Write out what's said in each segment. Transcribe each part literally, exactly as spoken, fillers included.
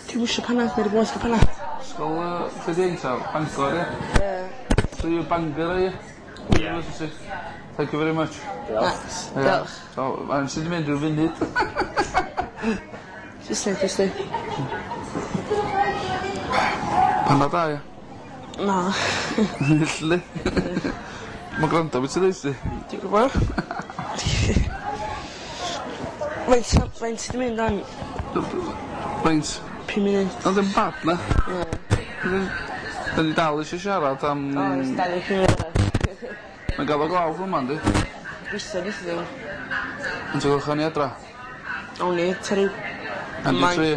Dwi'm isio panad ma' ry boeth ca'l panad. Ysgol yy lle 'di 'hein ta? Bangor ia? Ie. So you're Bangor are you? University. Thank you very much. Diolch. Diolch. So faint sy 'di mynd ryw funud? Saesneg jyst 'di. Panad da ia? Na. Literally. Ma'n grando be' ti'n ddeud sti. Dwi gwbo. Faint o faint sy 'di mynd ŵan? Faint? Pum munud. O ddim bad na? Na. 'Dan ni dal isio siarad am... Oes dau ddeg pum munud arall. Mae'n gaddo glaw fy' 'ma yndi? Gobeithio neith o ddim. Faint o gloch awn ni adra? Awn ni tua ryw... Hanner 'di tri.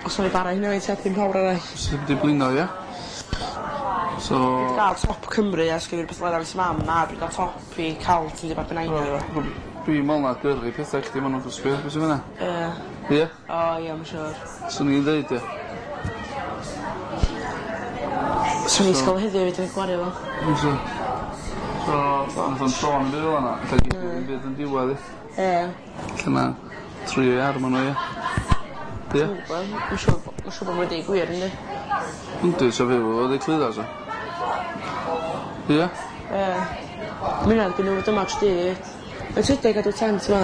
Os nawn ni bara hynna i tua pump awr arall. Os 'im 'di blino ia? So... Dwi 'di ga'l top Cymru a sgin i rwbeth lefel mam a dwi ga'l top fi ca'l ti 'di Dwi'n me'wl na gyrru petha i chdi ma' nw'n dysgu be' sy fyn 'na? Ie. Ie? O ie ma' siŵr. Swn i'n ddeud ie. Swn i ysgol heddiw fedrai gwario fo. Fysa. So nath o'm sôn 'im byd fel 'na ella geith 'i ddim byd yn diwadd 'i. Ie. Lle ma' tri ar ma' n'w ia? Ia? Dwi'm yn gwbo ma' siŵr bo' ma' siŵr bo' n'w deu gwir yndi? Yndi sa fi efo fo reit llwyddo sa? Ia? Ie. Ma' ynna gyn n'w dyma chdi. Faint ydi gadw tent 'ma?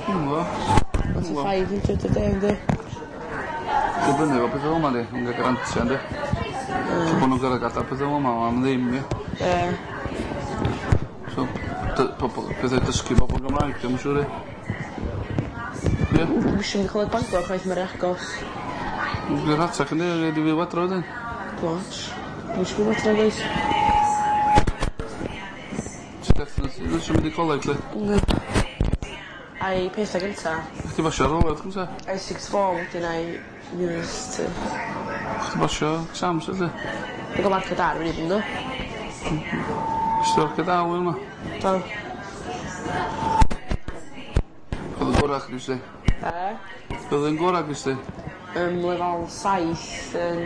Dwi'm yn gwbo. Forty five hundred a day yndi? Dibynnu efo petha fel 'ma yndi? Nw'n ga'l grantia yndi? Ie. So bo' nw'n gor'o' gadal petha fel 'ma am ddim ie? Ie. So dy- pobol pethe dysgu bobol Gymraeg dwi'm yn siŵr ie? Ie? Dwi'm isio mynd i coleg Bangor chwaith ma' ry agos. Ma'n rhy rhatach yndi rhaid i fi fyw adra wedyn. Dim ots. Dwi'm isio byw adra nagoes? Ti definitely ddim isio mynd i coleg 'lly? Na. Ai petha gynta. Chdi basio aroliad cynta? Ai sixth form wedyn ai university. Chdi basio exams felly? Dwi ga'l marcia da ar y funud yndw? Nest ti marcia da flwyddyn 'ma? Do. O'dd y gora chdi 'sti? Be? Be' o'dd yn gora gest ti? Yym lefal saith yn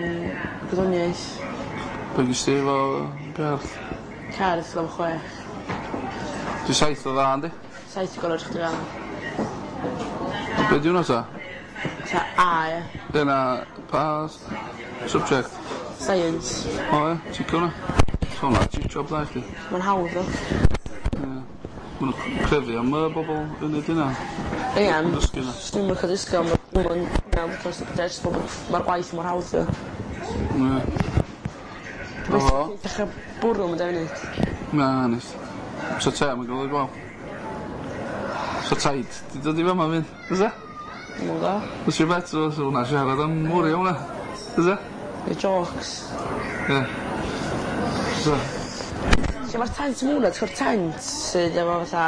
gwyddoniaeth. Be' gest ti efo be' arall? Cerdd lefel chwech. 'Di saith o dda yndi? Saith 'di gorau chdi ga'l. A be' 'di wnna 'ta? Ta A ia? Dyna pa s- subject? Science. O ie? Ticio wnna? So wnna ti job dda i chdi. Ma'n hawdd tho. Ie. Ma' nw'n c- crefu am yy bobol yn neud hynna. Ia Yn dysgu 'na. Swn i'm yn licio dysgu am ma'r gwaith mor hawdd t'o'? Ie. O. Dechra bwrw am dau funud. Na neith. Sa te yn ga'l ei glaw. Sa taid 'di dod i fama 'fyd fysa? Dwi'm yn gwbo. What's your bet os o' wnna siarad am mwy o wnna. Fysa? Neu jôcs. Ie. Fysa. Lle ma'r tent mwna t'w'r tent sydd efo fatha...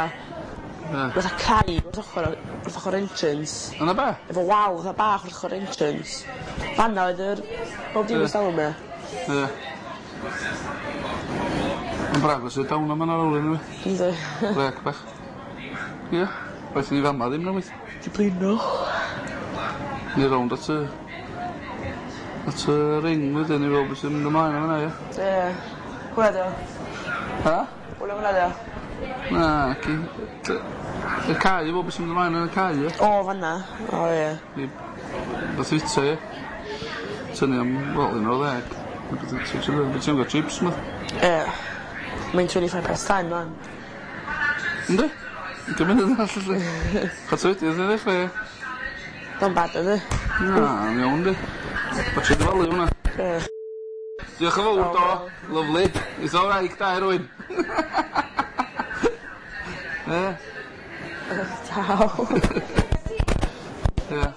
Ie. Fatha cae wrth ochor o wrth ochor entrance. Yn y be? Efo wal fatha bach wrth ochor entrance. Fan 'na oedd yr bob dim Ie. ers dalwm ia? Ie. Ma'n braf o sit down am hannar awr eniwe. Yndi. Brêc bach. Ie. Well ni fama ddim newid. Di blino. Ni rownd at y at y ring wedyn i weld be' sy'n mynd ymlaen yn fan 'na ia? Ie. Hwnna 'di o. Ha? Hwnna fynna 'di o. Na ci. Dy- y cae i weld be' sy'n mynd ymlaen yn y cae ia? O fan 'na. O ie. I nath fita ia? Tynnu am wel un o'r ddeg. Be' ti'n ga'l chips ma? Ie. Mae'n twenty five past ten ŵan. Yndi? Ugian munud arall felly. Chwarter wedi wyth i ddechra ia? Not bad ydi? Na, yn iawn 'di. Watsiad dy falu hwnna. Ie. Diolch yn fowr do. Lyfli. Neith o wraig da i rywun. Ie. Taw. Ie.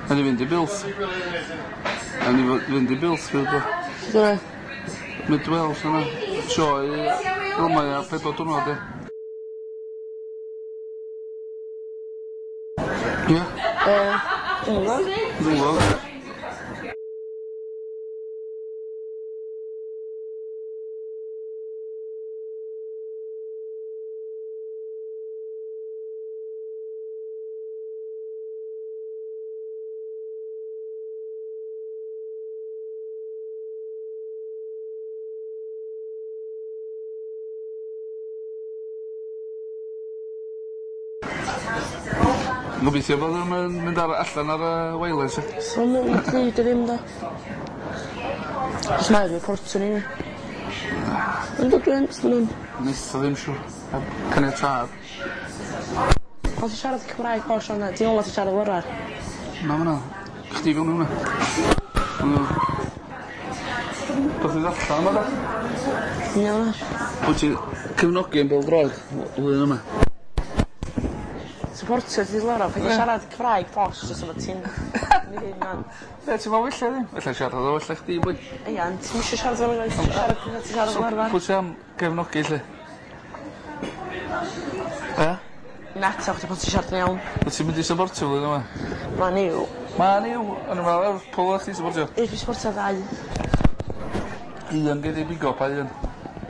A ni fynd i Builth. A ni fo- fynd i Builth fydd o. Dyna. Mid Wales yna. Sioe fel mae ar pedwar diwrnod ie. Ie? Yy, dwi'm yn gwbo. Dwi'm yn gwbo. Gobeithio bod o'm yn mynd ar allan ar y wireless ia. So ma'n pryd i ddim da. Os mae reportio ni. Yndw dwi yn, ma' nw'n... Neith o ddim siŵr. Heb caniatâd. Pan ti'n siarad Cymraeg posh ond ti'n ola ti'n siarad lyrad. Na ma' 'na. Chdi fewn i wnna. Mm. Doth i ddarllan yma da? Iawn. Wyt ti cefnogi yn bêl-droed flwyddyn yma? Supporter ti Lara, paid â siarad Cymraeg posh jyst efo ti'n neud man. Be' ti'n me'wl fella ddim? Ella siarad o ella chdi boi. Ia ond ti'm isio siarad fel yna, ti'n siarad fatha ti'n siarad fel arfar. Pwy sy am gefnogi 'lly? Yy? Na ta chdi pan ti'n siarad yn iawn. Wyt ti'n mynd i supportio flwyddyn yma? Man U. Man U? O'n i'n meddwl Lerpwl o'ch ti supportio. Ie dwi supportio ddau. Un gei di bigo pa un?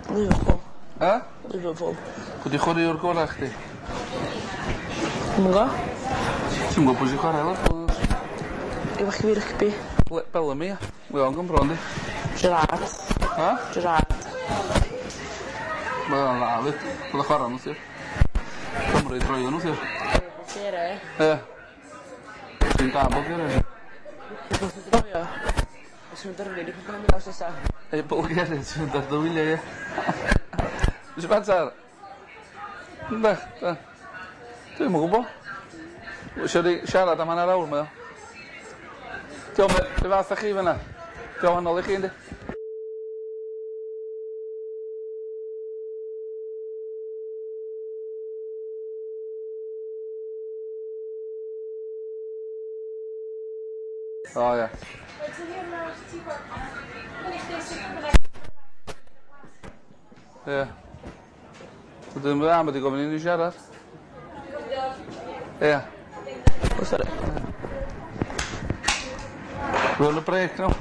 Liverpool. Yy? Liverpool. Pwy 'di chwaraewr gora chdi? Dwi'm yn gwbo. Ti'm yn gwbo pwy sy'n chwarae Lerpwl? Efo chi fi rygbi. Le- Bellamy ia? Mae o'n Gymro yndi? Gerrard. Ha? Gerrard. Mae o'n dda 'fyd. O'dd o'n chwara neithiwr. Cymru droeon neithiwr. Bulgaria. Ie. Ti'n da Bulgaria? Droio. Os yw'n dyrnu, ni peth mynd os nesa. Ei Bulgaria ti'n mynd ar dy wyliau ie? Mr Bantar? Yndach, da. Dwi'm yn gwbo. Isio ni siarad am hanner awr mae o. Diolch, be fath â chi fan'na? Di o wahanol i chi yndi? O ia. Ie. Wedyn ma' wedi gofyn i ni siarad. Ie. O sori. We're on a break now.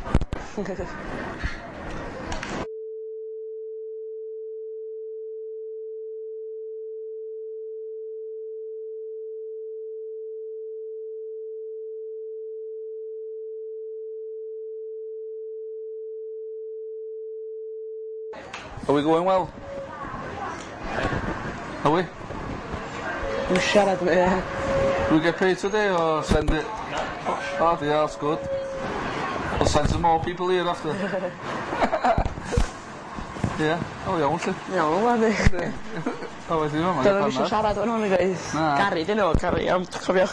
Are we going well? Are we? Dwi'n siarad efo ie. Do we get paid today or send it? Oh, yeah, that's good. I'll send some more people here after. Yeah, oh iawn 'lly. Iawn wlad i. O wedyn yma. Doedd o'm isio siarad efo nhw guys. Na. Gary 'di enw fo, Gary iawn, cofio.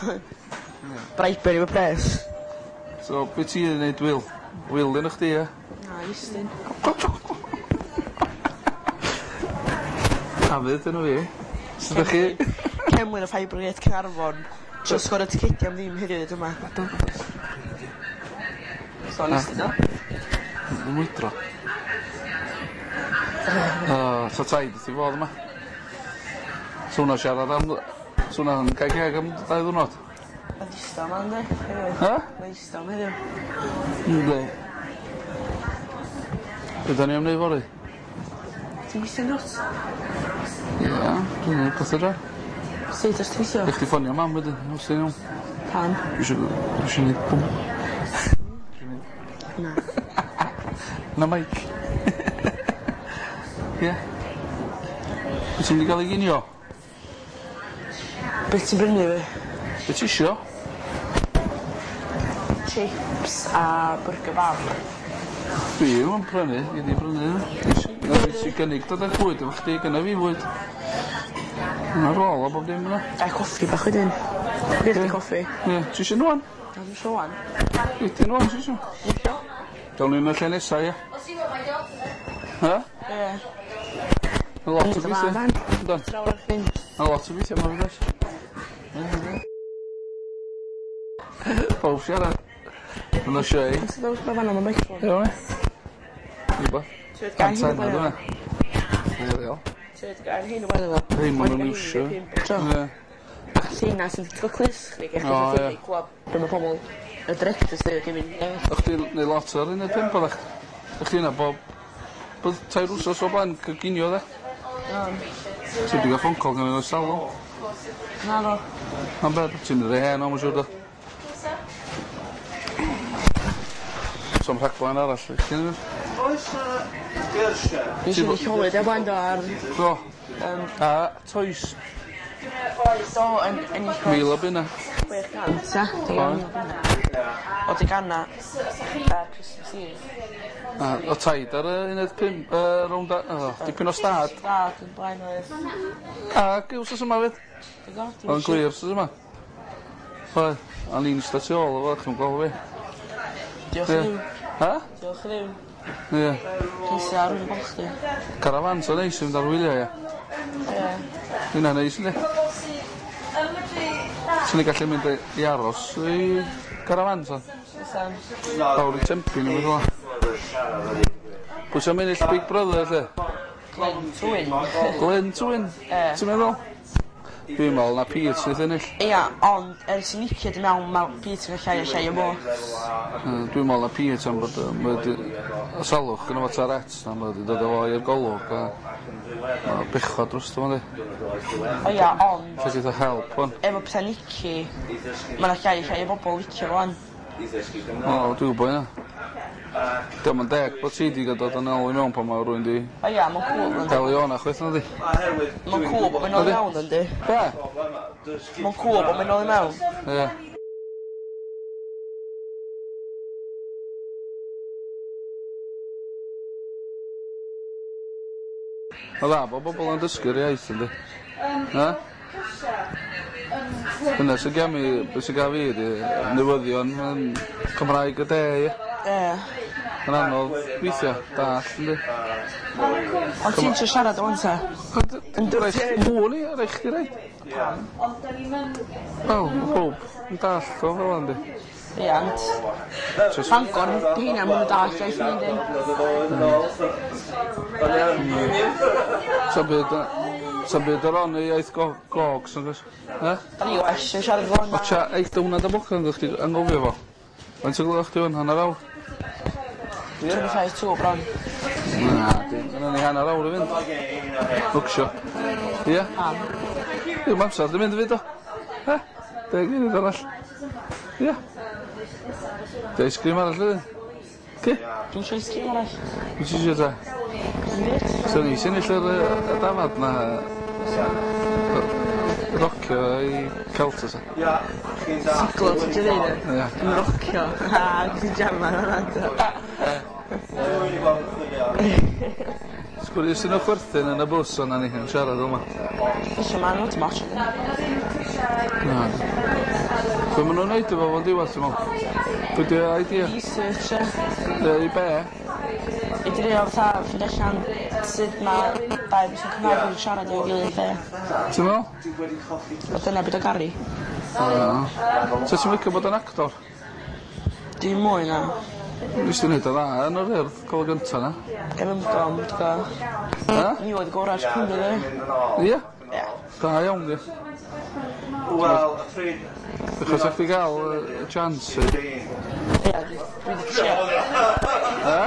Bribery efo pres. So, be ti'n neud Wil? Wil yn chdi, ie? Na, Iestyn. Dafydd enw fi. Sut ydach chi? Cemlyn o Fire Brigade Caernarfon. Just sgorio ticedi am ddim heddiw yma. So nes di do? Yn mwydro. O, so taid wrth 'i fodd yma. So hwnna siarad am... So hwnna'n cau ceg am dau ddwrnod. Ma'n ddistaw 'ma yndi? Heddiw. Ha? Ma'n ddistaw 'ma heddiw. Yndi. Be' 'dan ni am neud fory? Ti'n gweithio'n dwt? Ia, dwi'n neud petha 'da. Sut os ti'n gweithio? Neu chdi ffonio mam wedyn, os ti'n iawn. Pam? Dwi isio dwi isio neud pwmp. Na. Na meic. Ie. Wyt ti'n mynd i ga'l 'i ginio? Be' ti'n brynu fi? Be' ti isio? Chips a byrgyr bab. Dwi ddim yn prynu, gei di brynu. Na fi sy gynnig dod â bwyd efo chdi, gynna fi fwyd. Ma' rôl a bob dim yna. A coffi bach wedyn. Be' 'di coffi? Ie, ti isio un ŵan? Na ddim isio ŵan. Wedyn ŵan ti isio? Isio. Gawn ni yn y lle nesa ia? Ha? Ie. Ma' lot o weithie. Yndan. Draw ar chdi. Ma' lot o weithie ma' fe does? Pawb siarad. Yn y sioe. Ti'n dod o'r fan am y microphone? Iawn e? Rhywbeth. Ti'n Tan dyna. Real. Ti'n gael hyn o wedyn o. Hyn maen nhw'n iwsio. Ie. Lleina sy'n ti'n clys chdi, O, ie. chdi clywed be mae pobl y directors dweud gyn mynd. O'ch chdi neud lot ar uned pump oeddach? O'ch chdi yna bob... Bod tair wsos o blaen coginio de? Ti wedi cael phone call gan o'r salon. Na fo. Am beth, ti'n mynd rei hen o, mae'n siŵr do. So'm rhaglen arall, i chdi neu? Oes na gyrsiau? Nes i wedi llowyd e blaen do ar... Do. A toes, Do, yn ennill mil o bunna. chwe chant, ia? Oedd. O deganna ar Christmas Eve. A o taid ar y uned pump, yy, rownd a... O, dipyn o stad. Stad yn blaen oedd. Ac wsos yma fyd. Oedd yn glir wsos yma. Oedd, o'n i'n ista tu ôl o fo, chi'n gweld fi. Diolch Ie. i Dduw. Ha? Diolch i Dduw. Ie. Ceisio ar ôl chdi. Carafan, so neis i fynd ar wyliau, ie. Ie. Hynna'n neis, yndi? Swn i'n gallu mynd i aros i carafan, so. Fysan. Lawr i Tempe neu beth fel 'a. Pwy sy'n ennill Big Brother, lle? Glenn Twin. Glenn Twin? Ie. Ti'n meddwl? Dwi'n meddwl na Pete sydd ennill. Ia, ond ers i Nicky di mewn, mae Pete yn llai a llai o bo. Yy, Dwi'n meddwl na Pete am bod yy, mae wedi y salwch gynno fo Tourette's na mae wedi dod â fo i'r golwg a ma' bechod drosto fo yndi. O ia, ond Lle geith o help wan. efo pethau Nicky, mae 'na llai a llai o bobl licio fo wan. O, dwi'n gwybod hynna. Dio'm yn deg bod ti 'di dod yn ôl i mewn pan mae rywun 'di O ia, mae'n cŵl yndi. dal i ona chwaith nadi? Mae'n cŵl bod mae'n ôl i mewn yndi. Be? Mae'n cŵl bod mae'n ôl i mewn. Ie. Ma'n dda bod bobl yn dysgu'r iaith yndi? Na? Dyna sy'n gam i, be sy'n gaf fi ydi newyddion yn Cymraeg y de, ie. Ie. Yn anodd weithia, dall, yndi? Ond ti'n trio siarad o wan ta? Yn dweud Mwy ni, rhaid chdi reid. Wel, ma' pawb yn dallt o fel 'a yndi? Ie, ond Bangor, di heina, maen nhw'n dallt iaith ni yndyn. Sa'm byd yy sa'm byd ar on i iaith go- gogs nag oes? E? Da ni well yn siarad fel O yna. tia, eith dy hwnna dy bocan chdi anghofio fo. Faint o gloch di hwn, hanner awr? twenty-five to bron. Na, di, gynnon ni hanner awr i fynd. Bwcsio. Ie? Pam? Ddim amser di mynd i fyd o. He? Deg munud arall. Ie. Di ice cream arall wedyn? Ci? Dwi'n siarad ice cream arall. Be ti isio ta? So ni sy'n ennill yr yy, y dafad na yy, rocio i Celta sa. Siglo, ti'n dweud e? Ie. Yn rocio. Ha, ti'n jaman hwnna. Sgwrs sy'n o chwerthin yn y bws o'na ni yn siarad yma. Felly ma'n lot mach ynddi. Na. Be maen nhw'n neud efo fo'n diwedd, ti'n meddwl? Be di idea? Research, e. Yy, I be? I drio fatha ffeindio allan sut mae dau person Cymraeg yn siarad efo'i gilydd be. Ti'n meddwl? O dyna beth o Gary. O. So ti'n licio bod yn actor? Dim mwy na. Nes ti neud o dda yn yr Urdd, gol gynta na. Efo ymgom, dwi'n gwybod. Ha? Ni oedd gorau Cymru, dwi. Ie? Ie. Da iawn, di. Wel, y pryd... Achos o'ch chi gael yy, chance. Ie, dwi dwi 'di trio. Ha?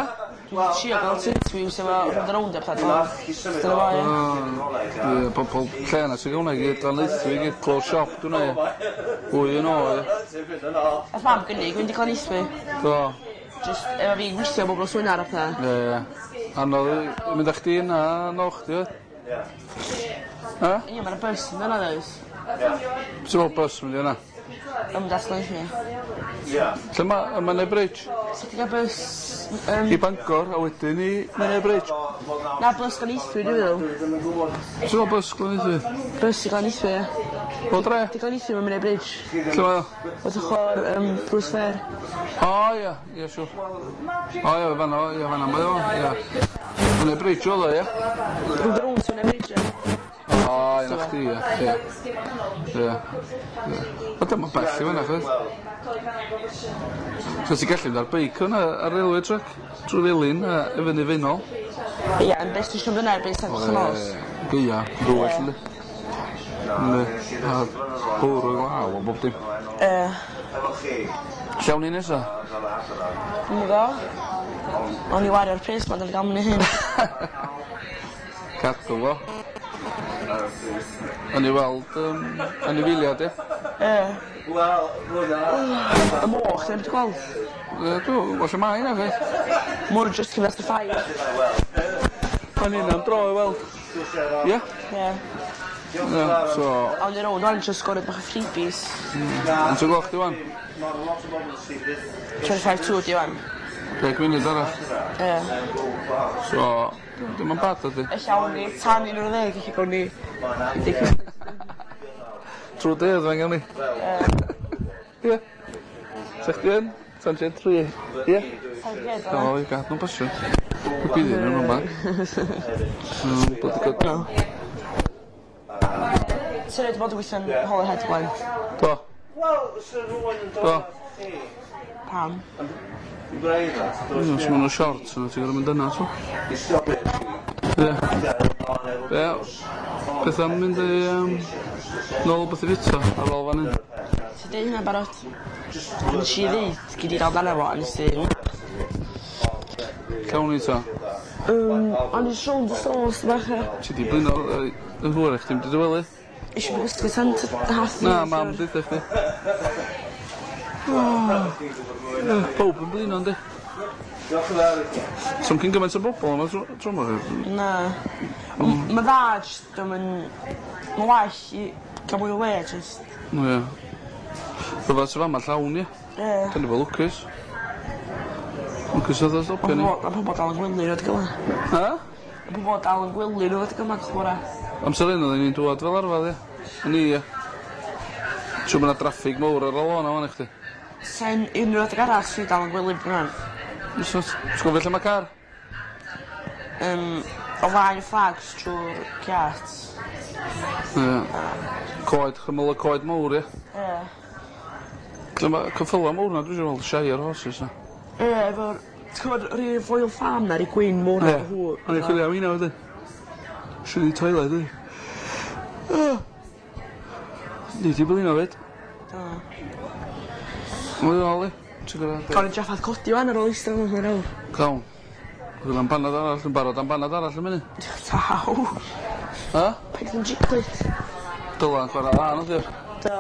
Dwi 'di trio gael interviews efo Rownd a Rownd a pethau. Dyna fo, ie. Ie, pobl lle na sy'n hwnna i gyd, Llanelli i gyd, close shop, dwi'n ei. Fwy yn o, ie. Nath mam gynnig fynd i Glenisby. Do. Just efo fi gweithio bob nos Wener a pethau. Ie, ie. Anodd i mynd â chdi yna, nôl chdi, oedd? Ha? Ie, mae'na bus yn yna, does? Ti'n meddwl bus mynd i yna? Yn mynd at Glenisby. Lle ma, y Menai Bridge? So ti'n gael bus... Um, I Bangor, a wedyn i Menai Bridge. na, bus Glenisby, dwi'n meddwl. Ti'n meddwl bus Glenisby? Bus i Glenisby, ie. O dre? Di Glenisby mae'n mynd i Bridge. Lle mae o? Wrth ochr um, Bruce Fair. O, ie, ie, siŵr. O, ie, fan'na, ie, fan'na mae o, ie. Menai Bridge oedd o, ie? Rownd a Rownd sy'n mynd i Bridge, ie. O, flaen a chdi, ie. Ie. Ie. Ie. O dyma bell i fyna, chwaith. So ti'n gallu mynd ar beic hwnna ar railway track trwy Felin a i fyny Faenol. Ie, yn beth ti'n siŵr fyna erbyn saith o'r nos. Gaea, rwyll yndi. Yndi. A bwrw glaw a bob dim. Ie. Efo chi. Lle awn ni nesa? Dwi'm yn gwbo. O'n i wario'r pres ma' 'da fi ga'l mynd i hyn. Cadw fo. O'n i weld yym anifeiliad ie? Ie. Wel, hwnna... Y moch, ti'n wedi gweld? Yy dw, wel lle mae 'na chwaith. Mwr just cyn after five. O'n i am dro i weld. Ie? Ie. Ie, so... Awn ni rownd wan, trio sgorio bach o freebies. Yn ti'n gloch di wan? Twenty five two di wan. Deg munud arall. Ie. So, dim yn bad ydi. Ella awn ni tan un o'r ddeg, ella gawn ni... Trwy dydd fe'n gawn ni. Ie. Sa chdi yn? Tan tua tri. Ie? O, i gad nhw'n pasio. Dwi'n byddu nhw'n yma. Mm, bloody good. Ti'n rhaid bod yn gweithio'n Holyhead Gwen? Do. Wel, so rhywun yn Do. dod at chi. Pam? Yn breifat. Os maen nhw'n short, so ti'n gorfod mynd yna, so. I stopio chi. Ie. Ie. Beth am mynd i, um, nôl beth i fita ar ôl fan hyn? Ti'n deud hynna'n barod? Nes i ddeud, gyd i gael dan efo, a nes i... Cawn ni ta. Um, o'n i rownd y sos bach e. Ti di blino yy, yn hwyr i chdi mynd i dy wely? Isio fi gysgu tan t- half Na, mam deutha chdi. Ie, Pawb yn blino yndi? Diolch yn fawr i chi. So'm cyn gymaint o bobl yma tro tro 'ma. Na. M- Ma' dda, jyst dwi'm yn... Ma' well i gael mwy o le, jyst... Ie. Rhyfedd sy fama llawn ie. Ie. Da ni fod lwcus. Lwcus oedd o stopio ni. Ma' pobol dal yn gwely nhw adeg yma. Ha? Ma' pobol dal yn gwely nhw adeg yma chwara. Amser hyn oedden ni'n dŵad fel arfer ie. O'n i ie. Siŵr ma' 'na draffig mowr ar y lôn a fan i chdi. Sen unrhyw adeg arall swn i dal yn gwely bron. Os o's ti'n gofio lle ma' car? Um, o flaen y flags trwy'r giat. Ie. Coed, chymyl y coed mowr ie. Ie. Lle ma' ceffyla mowr 'na dwi isio weld Shire horses na. Ie, efo'r... Ti'n gwybod yr un Royal Farm na, yr gwyn mowr Ie. na hw. O'n i'n chwilio am heina wedyn. Isio ni toilet i. Nei di blino fyd. Do. Mwy o i. Ti'n gwybod? Gawn ni draffath codi wan ar ôl eistedd yn hwnna nawr. Cawn. Chwilio am banad arall, yn barod am banad arall yn munud. Taw. Ha? Paid yn jiclid. Dylan chwarae dda nath i. Do.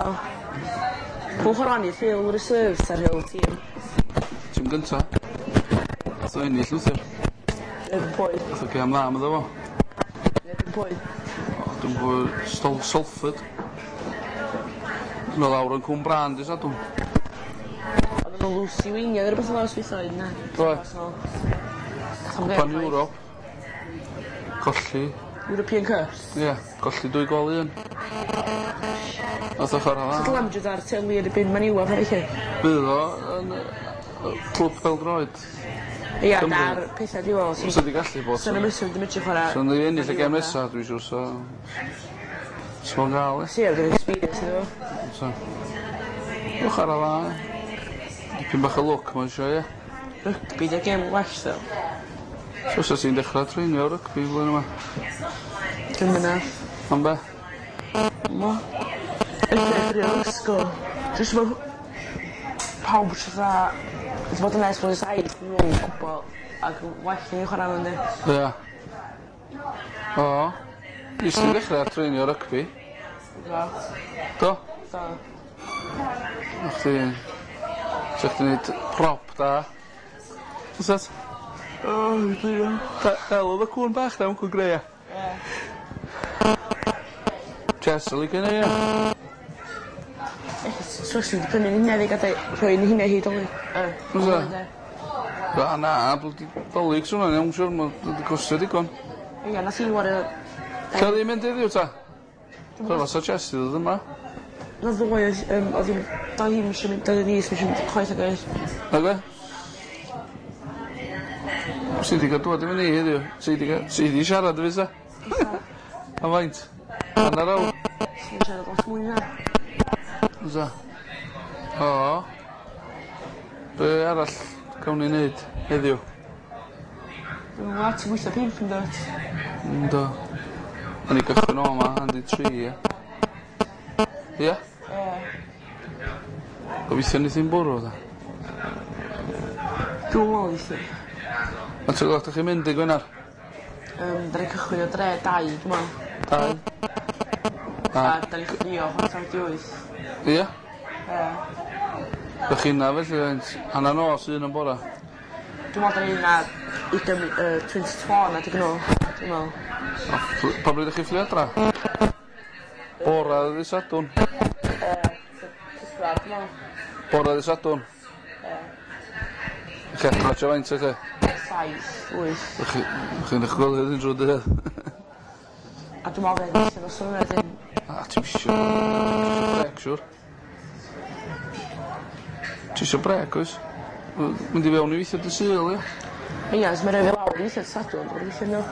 Pwy chwarae ni, Rhyl Reserves ar Rhyl tîm. Tîm gynta. Nath o ennill neithiwr. Erbyn pwy? Nath o gêm dda medda fo. Erbyn pwy? O, dwi'n gwybod Stol Salford. Dwi'n lawr yn Cwm Brân dy Sadwrn. Oedden nhw'n Lucy Wing, neu rhywbeth fel 'na oedd na. Do. Cwpan Ewrop. Colli. European Cup. Ie, colli dwy gol i un. Nath o chwarae dda. Dylan jyst ar teli erbyn Man U a pethau. Bydd o yn yy clwb pêl-droed. Ie, Cymru. na'r pethau di weld. Fysa di gallu bod. Sy'n ymwysyn ddim eisiau chwarae. So ni ennill y gêm nesa, dwi'n siŵr, so... So fo'n gael, e. Si, ar gyfer experience iddo fo. So... Dwi'n chwarae dda, e. Dipyn bach o lwc, mae'n siŵr, ie. Rygbi, di'r gêm well, ddo. So sa ti'n dechrau treinio rygbi flwyddyn yma? Dwi'n mynd Am be? Mo. Edrych i'r ysgol. Jyst ma' pawb jyst fatha wedi bod yna ers blwyddyn saith, dwi'n yn gwybod ac yn well i ni chwarae nhw yndi. Ie. O. Nes ti ddechrau treinio rygbi? Do. Do? Do. O chdi... Sa chdi neud prop da. Fysa? O, dwi'n Del oedd y cwn bach na, cwn greu, ia. Ie. Jess yn licio neud, ia. So ti'n prynu'n hynna fi gadael rhoi'n hynna hi dolyg. Fysa? Na, na, blydi dolyg swnio'n iawn, siwr, mae'n wedi costio digon. Ie, nath hi wario... Lle oedd hi'n mynd heddiw ta? So fasa Jess i ddod yma. Na ddoe oedd yym oedd hi'n... Doedd hi'm isio mynd, doedd hi ddim isio mynd chwaith ag oedd. Na gwe? Sy 'di cael dŵad efo ni heddiw? Sy 'di cael... Sy 'di siarad efo fi sa? Am faint? Hanner awr. Sy'n siarad lot mwy na. Fysa. O. Be arall gawn ni neud heddiw? Dwi'n gwybod, ti'n gweithio pump yn dod? Yndw. O'n i gychwyn o yma, handi tri, ia. Ia? Ie. Gobeithio neith hi'm bwrw, da. Dwi'n meddwl weithio. Faint o gloch 'dach chi'n mynd dy' Gwener? Yym, da ni'n cychwyn o dre dau, dwi'n meddwl. Dau? A da ni'n ffrio chwarter wedi wyth. Ia? Ie. Dach chi yna felly faint? Hannar nos, un yn bora? Dwi'n meddwl da ni yna ugain yy twenty to four na digon nhw, dwi'n meddwl. A ffl- pa bryd 'dach chi fflio adra? Bora ddydd Sadwrn. Yy, pedwar, dwi'n meddwl. Bora ddydd Sadwrn? Ie. Chi adra tua faint felly? Saith, wyth. Dach chi, chi'n eich gwely wedyn drwy'r dydd? A dwi'n meddwl fydd allan o swnio wedyn. A ti'm isio brêc siŵr. Ti isio brêc oes? Mynd i fewn i weithio dy Sul ia? Ia, os mae rhoi fi lawr i weithio dy Sadwrn, dwi'n weithio nhw.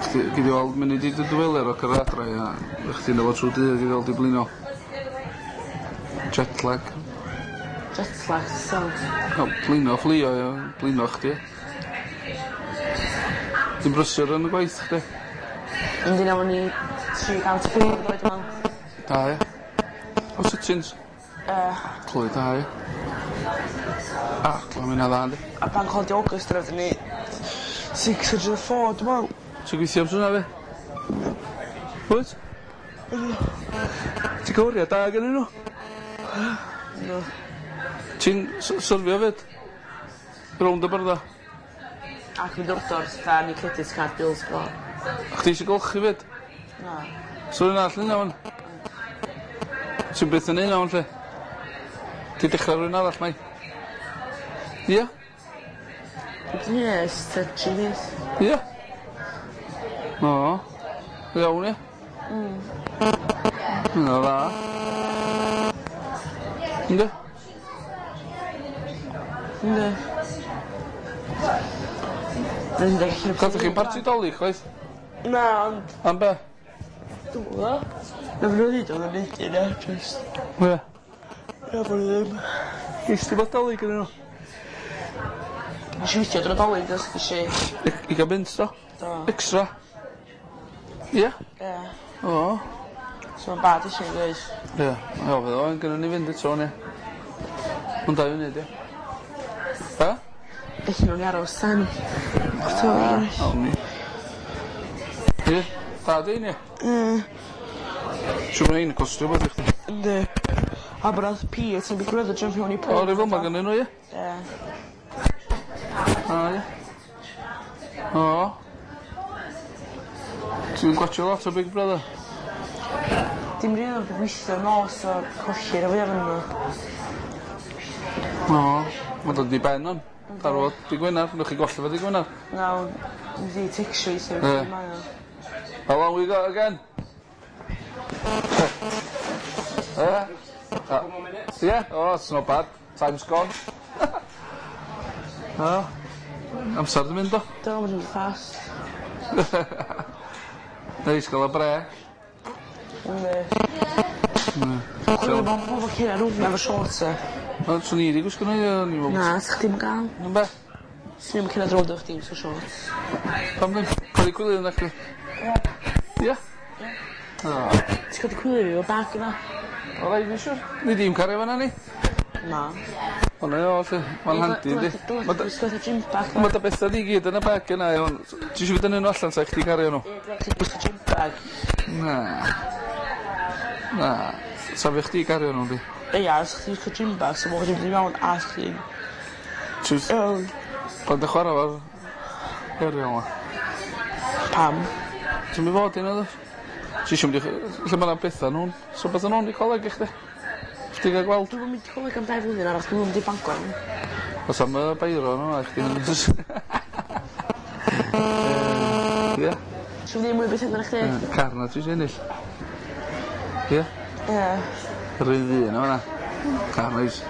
Chdi, gei di weld munud i dy dwyler o cyrraedd adra ia, chdi'n efo trwy dydd i ddod i blino. Jet lag. Jet lag, so. No, blino fflio ia, blino chdi. Ti'n brysur yn y gwaith chdi? Yndi, nawr ni tri gant pump yn dod, dwi'n meddwl. Da ia. O sittings? Yy. Clwy da ia. A, clwy mynd dda yndi. A bank holiday August yna ni six hundred and four, dwi'n meddwl. Ti'n gweithio am hwnna fi? Wyt? Ti'n cael oriau da gennyn nhw? No. Ti'n syrfio fyd? Rownd y byrddau? Ac mynd ordor, fatha ni credit card bills fo. A chdi eisiau golchi fyd? Na. So rhywun arall yn iawn? Ti'n byth yn un iawn lle? Ti'n dechrau rhywun arall mai? Ia? Yes, ta tri mis. Ia? O, iawn ia? Mm. Hynna dda. Ynddi? Ynddi. Gathoch chi'n parti Dolig chwaith? Na, ond... Am be? Dwi'm yn gwbo. Na fy nhw'n neud o'n neud yna, just... Ie. Na fy nhw ddim. Ges ti beth Dolig yn nhw? Nes i weithio dros Dolig, os nes i... I gael mynd, do? Do. Extra? Ie? Ie. O. So mae'n bad eisiau dweud. Ie. O, fydd o'n gynnu ni fynd eto, ie. Ond dau funud, ie. Ha? Felly nhw'n aros tan... October. O, ni. Ie, da di, ie. Ie. Siwr mae'n ein costio beth i chdi. Yndi. A bod P, ti'n Big Brother jump mewn i O, rhyw fel ma gynnu nhw, ie? Ie. A, ie. O. Ti'n gwatio lot o Big Brother? Dim rili ond gweithio nos o colli rhan fwyaf ohonyn nhw. O, mae'n dod i ben on. Darfod dy Gwener, newch chi golli fo dy Gwener. Na, mi di tecsio i sef Ie. mae o. How long we got again? Eh? Couple more minutes. Yeah, oh, it's not bad. Time's gone. Oh. Amser di mynd o. Do, mae'n mynd fast. Neis gael y brêc. Yndi. Chwilio bod pobl cyn ar rwng efo shorts e. O, swn i wedi gwisgo nhw, ie, o'n i'n meddwl. Na, sa chdi'm yn gael. Yn be? Swn i'm yn cyrraedd rownd o chdi so shorts. Pam ddim? Codi cwilydd yna chdi? Ie. Ie? O, Ti'n codi cwilydd fi efo bag yma? o rai fi siwr. Ni ddim cario fan'na ni. Na. O na o, lle. Mae'n handi, yndi. Ma' dy- Dwi'n gwisgo gym bag. Ma' dy bethau di gyd yn y bag yna, iawn. Ti eisiau fi dynnu nhw allan sa chdi cario nhw? Ie, dwi'n gwisgo gym bag. Na. Na. Sa fi chdi gario nhw, di. Ia, os chdi gwisgo gym bag, so bod chdi'n mynd i mewn a chdi'n... Ti'n... Iawn. Pan dy chwarae fo'r aerial ma. Pam? Ti'n mynd fod i na, ddo? Ti eisiau mynd i... Lle mae 'na bethau nhw'n... So bethau nhw'n i coleg i chdi? Chdi gael gweld? Dwi'n mynd i coleg am dau flwyddyn arall, dwi'n mynd i Bangor. Os am y beiro nhw, a chdi yn... Ie. Ti'n mynd i mwy beth yna chdi? Car na ti eisiau ennill. Ie. Ie. Yr un ddyn o fan'na. Car neis.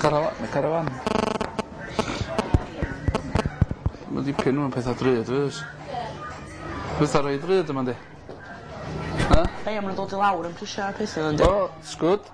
Caravan, mae caravan. Mae dipyn nhw'n pethau drud, fes. Pethau rhoi drud yma, di. Na? Hei, a ma' nw'n dod i lawr yn prisia peth yndi? O, it's good.